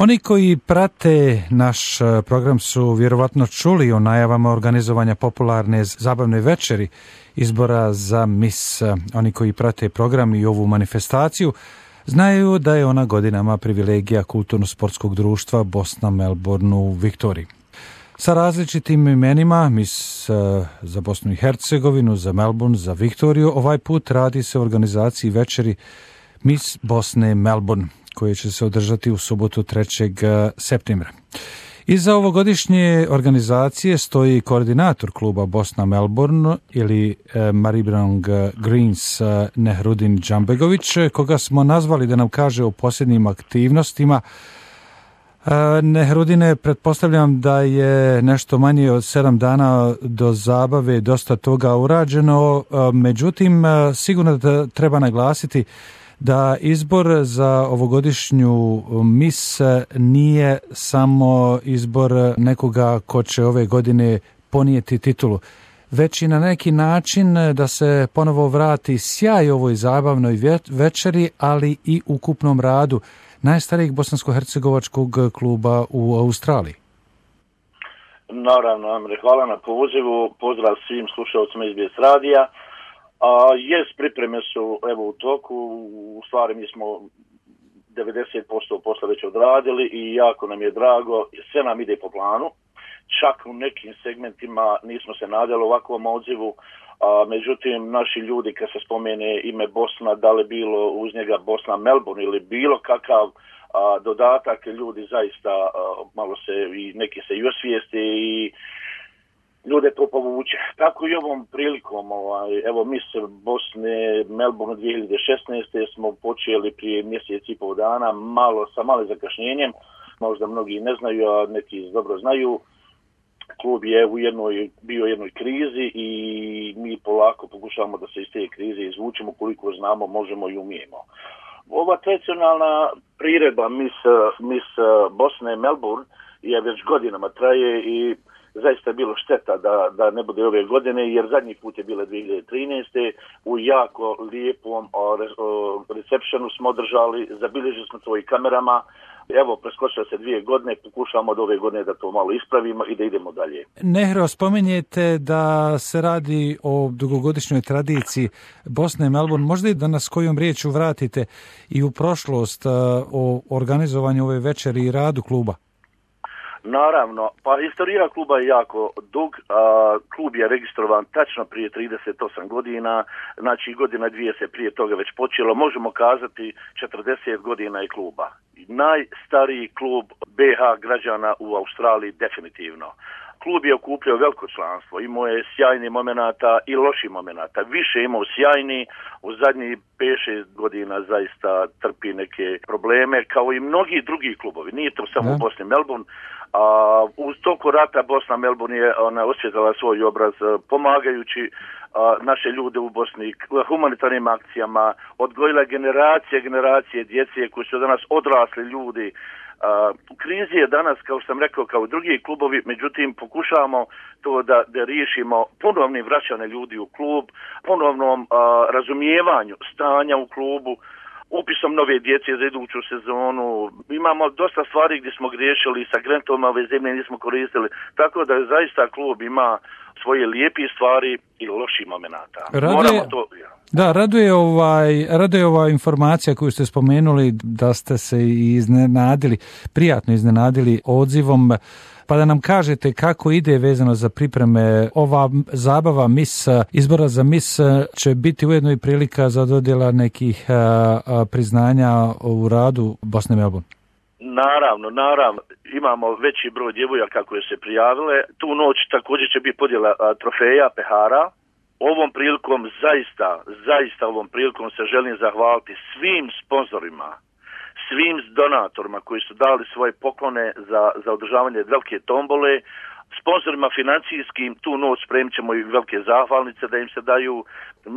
Oni koji prate naš program su vjerovatno čuli o najavama organizovanja popularne zabavne večeri izbora za Miss. Oni koji prate program i ovu manifestaciju znaju da je ona godinama privilegija kulturno-sportskog društva Bosna Melbourne u Viktoriji. Sa različitim imenima, Miss za Bosnu i Hercegovinu, za Melbourne, za Viktoriju, ovaj put radi se o organizaciji večeri Miss Bosne Melbourne, koje će se održati u subotu 3. septembra. Iza ovogodišnje organizacije stoji koordinator kluba Bosna Melbourne ili Maribrang Greens Nehrudin Džambegović, koga smo nazvali da nam kaže o posljednjim aktivnostima. Nehrudine, pretpostavljam da je nešto manje od 7 dana do zabave dosta toga urađeno, međutim sigurno da treba naglasiti da izbor za ovogodišnju Miss nije samo izbor nekoga ko će ove godine ponijeti titulu, već i na neki način da se ponovo vrati sjaj ovoj zabavnoj večeri, ali i ukupnom radu najstarijeg bosansko-hercegovačkog kluba u Australiji. Naravno, Amre, hvala na pozivu, pozdrav svim slušalcima SBS radija. Pripreme su evo u toku, u stvari mi smo 90% posla već odradili i jako nam je drago, sve nam ide po planu, čak u nekim segmentima nismo se nadali ovakvom odzivu, međutim naši ljudi kad se spomene ime Bosna, da li bilo uz njega Bosna Melbourne ili bilo kakav dodatak, ljudi zaista malo se i neki se i osvijeste i ljude to povuče. Tako i ovom prilikom, evo Miss Bosne Melbourne 2016. smo počeli prije mjesec i pol dana, sa malim zakašnjenjem, možda mnogi ne znaju, a neki dobro znaju. Klub je bio u jednoj krizi i mi polako pokušavamo da se iz te krize izvučemo koliko znamo, možemo i umijemo. Ova tradicionalna priredba Miss Bosne Melbourne je već godinama traje i zaista je bilo šteta da ne bude ove godine, jer zadnji put je bila 2013. U jako lijepom receptionu smo održali, zabilježili smo to i kamerama. Evo, preskočilo se 2 godine, pokušamo od ove godine da to malo ispravimo i da idemo dalje. Nehro, spomenjete da se radi o dugogodišnjoj tradiciji Bosne i Melbourne. Možda i da nas kojom riječu vratite i u prošlost o organizovanju ove večeri i radu kluba? Naravno, pa istorija kluba je jako dug. Klub je registrovan tačno prije 38 godina, znači godina 2 se prije toga već počelo. Možemo kazati 40 godina je kluba. Najstariji klub BH građana u Australiji definitivno. Klub je okupljao veliko članstvo, imao je sjajnih momenata i loših momenata. Više imao sjajni, u zadnjih 5-6 godina zaista trpi neke probleme, kao i mnogi drugi klubovi. Nije to samo u Bosni Melbourne. Uz toku rata Bosna Melbourne je osvjetala svoj obraz pomagajući naše ljude u Bosni humanitarnim akcijama, odgojila generacije djece koji su danas odrasli ljudi. U krizi je danas, kao što sam rekao, kao drugi klubovi, međutim pokušavamo to da riješimo ponovnim vraćanjem ljudi u klub, ponovnom razumijevanju stanja u klubu, upisom nove djece za iduću sezonu. Imamo dosta stvari gdje smo griješili, sa grantovima ove zemlje nismo koristili, tako da zaista klub ima svoje lijepe stvari i loših momenata. Raduje ova informacija koju ste spomenuli, da ste se prijatno iznenadili odzivom, pa da nam kažete kako ide vezano za pripreme. Ova zabava izbora za Miss će biti ujedno i prilika za dodjela nekih priznanja u radu Bosne Melbourne. Naravno. Imamo veći broj djevojaka koje se prijavile. Tu noć također će biti podjela trofeja, pehara. Ovom prilikom, zaista ovom prilikom se želim zahvaliti svim sponzorima, svim donatorima koji su dali svoje poklone za održavanje velike tombole, sponzorima financijskim. Tu noć spremit ćemo i velike zahvalnice da im se daju.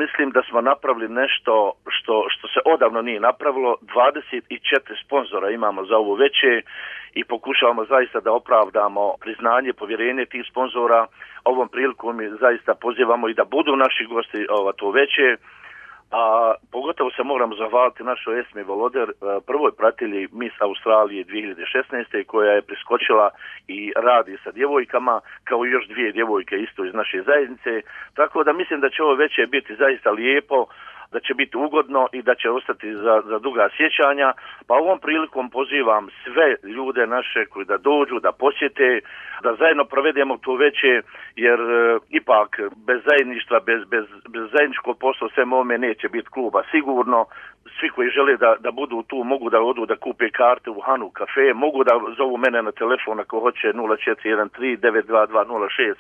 Mislim da smo napravili nešto što se odavno nije napravilo. 24 sponzora imamo za ovo veće i pokušavamo zaista da opravdamo priznanje, povjerenje tih sponzora. Ovom prilikom mi zaista pozivamo i da budu naši gosti to veće. a pogotovo se moramo zahvaliti našoj Esmi Voloder, prvoj pratilji Miss Australije 2016. koja je priskočila i radi sa djevojkama, kao i još 2 djevojke isto iz naše zajednice, tako da mislim da će ovo veće biti zaista lijepo, da će biti ugodno i da će ostati za duga sjećanja, pa ovom prilikom pozivam sve ljude naše koji da dođu, da posjete, da zajedno provedemo to veće, jer ipak bez zajedništva, bez zajedničkog posla sve ovome neće biti kluba sigurno. Svi koji žele da budu tu mogu da odu da kupe karte u Hanu kafe, mogu da zovu mene na telefon ako hoće 0413 922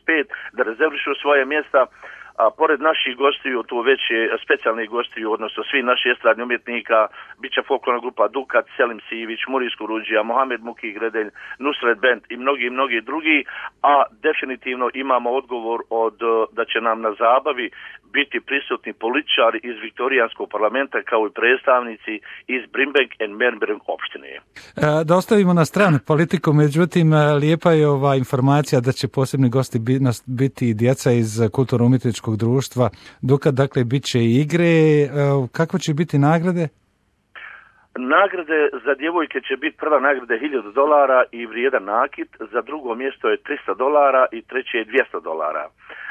065 da rezervišu svoje mjesta. A pored naših gostiju, tu već je specijalnih gostiju, odnosno svi naši estradni umjetnika, bit će folklorna grupa Dukat, Selim Sivić, Murijsko Ruđija, Mohamed Muki Gredelj, Nusret Band i mnogi drugi, a definitivno imamo odgovor da će nam na zabavi biti prisutni političari iz Viktorijanskog parlamenta kao i predstavnici iz Brimberg and Bernberg opštine. Da ostavimo na stranu politiku, međutim lijepa je ova informacija da će posebni gosti biti i djeca iz kulturno-umjetničkog društva Dukat, dakle bit će i igre. Kakve će biti nagrade? Nagrade za djevojke će biti prva nagrada $1000 i vrijedan nakit, za drugo mjesto je $300 i treće je $200.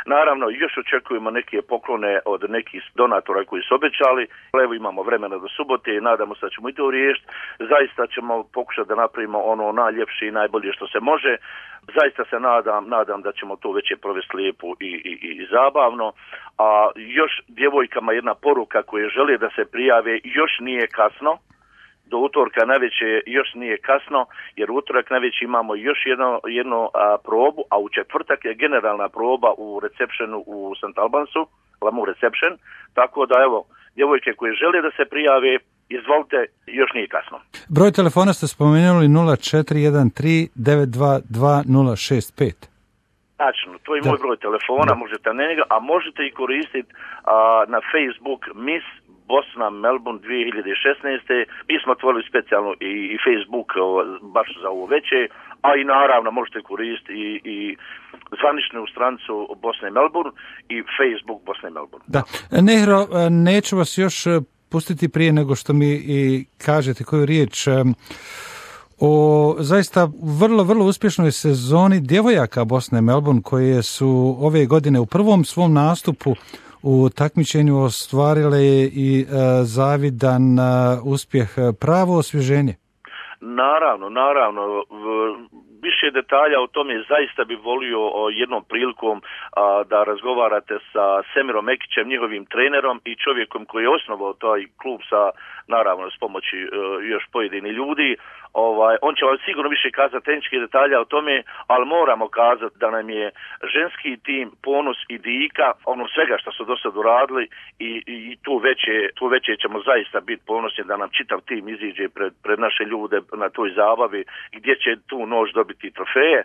Naravno, još očekujemo neke poklone od nekih donatora koji su obećali. Evo imamo vremena do subote i nadamo se da ćemo i to riješiti. Zaista ćemo pokušati da napravimo ono najljepše i najbolje što se može. Zaista se nadam da ćemo to već provesti lijepo i zabavno. A još djevojkama jedna poruka koje žele da se prijave, još nije kasno. Do utorka navečer još nije kasno, jer utorak navečer imamo još jednu probu, a u četvrtak je generalna proba u receptionu u St. Albansu, Lamu Reception, tako da evo, djevojke koje žele da se prijave, izvolite, još nije kasno. Broj telefona ste spomenuli 0413 922 065. Tačno, to je moj broj telefona, možete na njega, a možete i koristiti na Facebook Miss Bosna Melbourne 2016. Mi smo otvorili specijalno i Facebook baš za ovo veće, a i naravno možete koristiti i zvaničnu stranicu Bosne i Melbourne i Facebook Bosne i Melbourne. Da. Nehro, neću vas još pustiti prije nego što mi i kažete koju riječ o zaista vrlo uspješnoj sezoni djevojaka Bosne i Melbourne koje su ove godine u prvom svom nastupu u takmičenju ostvarile i zavidan uspjeh, pravo osvježenje. Naravno. Više detalja o tome zaista bi volio jednom prilikom da razgovarate sa Semirom Mekićem, njihovim trenerom i čovjekom koji je osnovao taj klub naravno s pomoći još pojedini ljudi. On će vam sigurno više kazati tehničke detalja o tome, ali moramo kazati da nam je ženski tim ponos i dika ono svega što su do sad uradili i tu veće ćemo zaista biti ponosni da nam čitav tim iziđe pred naše ljude na toj zabavi gdje će tu noć dobiti trofeje.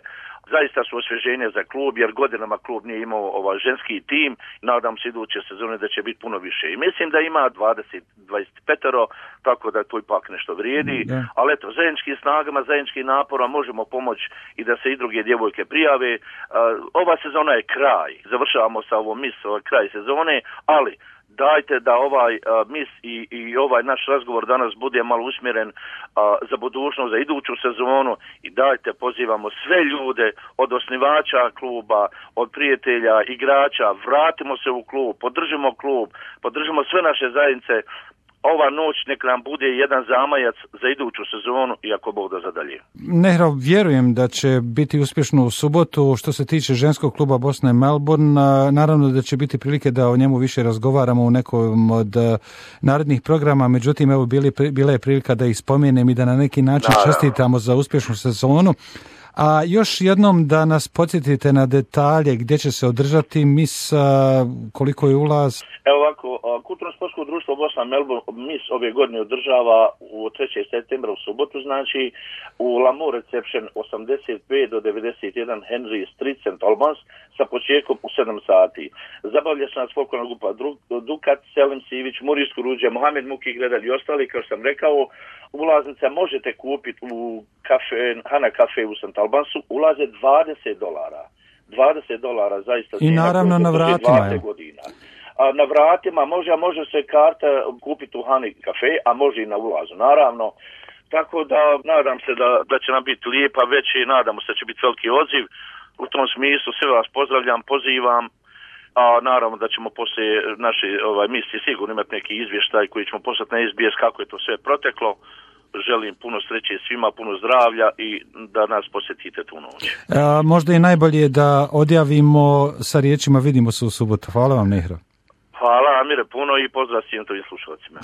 Zaista su osvježenje za klub, jer godinama klub nije imao ženski tim. Nadam se iduće sezone da će biti puno više. I mislim da ima 25, tako da to ipak nešto vrijedi. Ali eto, zajedničkim snagama, zajedničkim naporom možemo pomoći i da se i druge djevojke prijave. Ova sezona je kraj. Završavamo sa ovom Miss, kraj sezone, ali dajte da ovaj mis i ovaj naš razgovor danas bude malo usmjeren za budućnost, za iduću sezonu i dajte, pozivamo sve ljude od osnivača kluba, od prijatelja, igrača, vratimo se u klub, podržimo sve naše zajednice. Ova noć nek nam bude jedan zamajac za iduću sezonu i ako Bog da zadalje. Nehro, vjerujem da će biti uspješno u subotu. Što se tiče ženskog kluba Bosne i Melbourne, naravno da će biti prilike da o njemu više razgovaramo u nekom od narednih programa, međutim evo bila je prilika da ih spomenem i da na neki način čestitamo za uspješnu sezonu. A još jednom da nas podsjetite na detalje gdje će se održati mis, koliko je ulaz? Evo ovako, Kulturno-sportsko društvo Bosna Melbourne mis ove godine održava u 3. septembra u subotu, znači u Lamu Reception 85 do 91 Henry Street, St. Albans, sa početkom u 7 sati. Zabavlja se nas folklorna grupa Dukat, Selim Sivić, Murijsko Ruđija, Mohamed Muki Gredelj i ostali, kao sam rekao. Ulaznice možete kupiti u Hana kafe u St. Albansu, ulaze $20. $20 zaista. I naravno na vratima. Godina. na vratima, može se karta kupiti u Hani kafe, a može i na ulazu, naravno. Tako da nadam se da će nam biti lijepa već i nadamo se da će biti veliki odziv. U tom smislu sve vas pozdravljam, pozivam, a naravno da ćemo poslije naše misije sigurno imati neki izvještaj koji ćemo poslati na SBS kako je to sve proteklo. Želim puno sreće svima, puno zdravlja i da nas posjetite tu noć. Možda i najbolje da odjavimo sa riječima vidimo se u subotu. Hvala vam, Nehro. Hvala, Amire, puno i pozdrav svim tvojim slušalcima.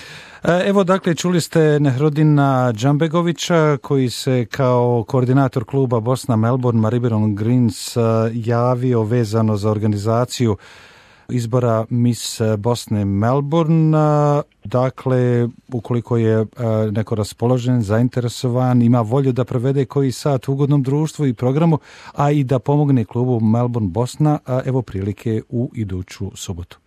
Evo, dakle, čuli ste Nehrodina Džambegovića, koji se kao koordinator kluba Bosna Melbourne Maribyrnong Greens javio vezano za organizaciju izbora Miss Bosne Melbourne. Dakle, ukoliko je neko raspoložen, zainteresovan, ima volju da provede koji sat u ugodnom društvu i programu, a i da pomogne klubu Melbourne Bosna, evo prilike u iduću subotu.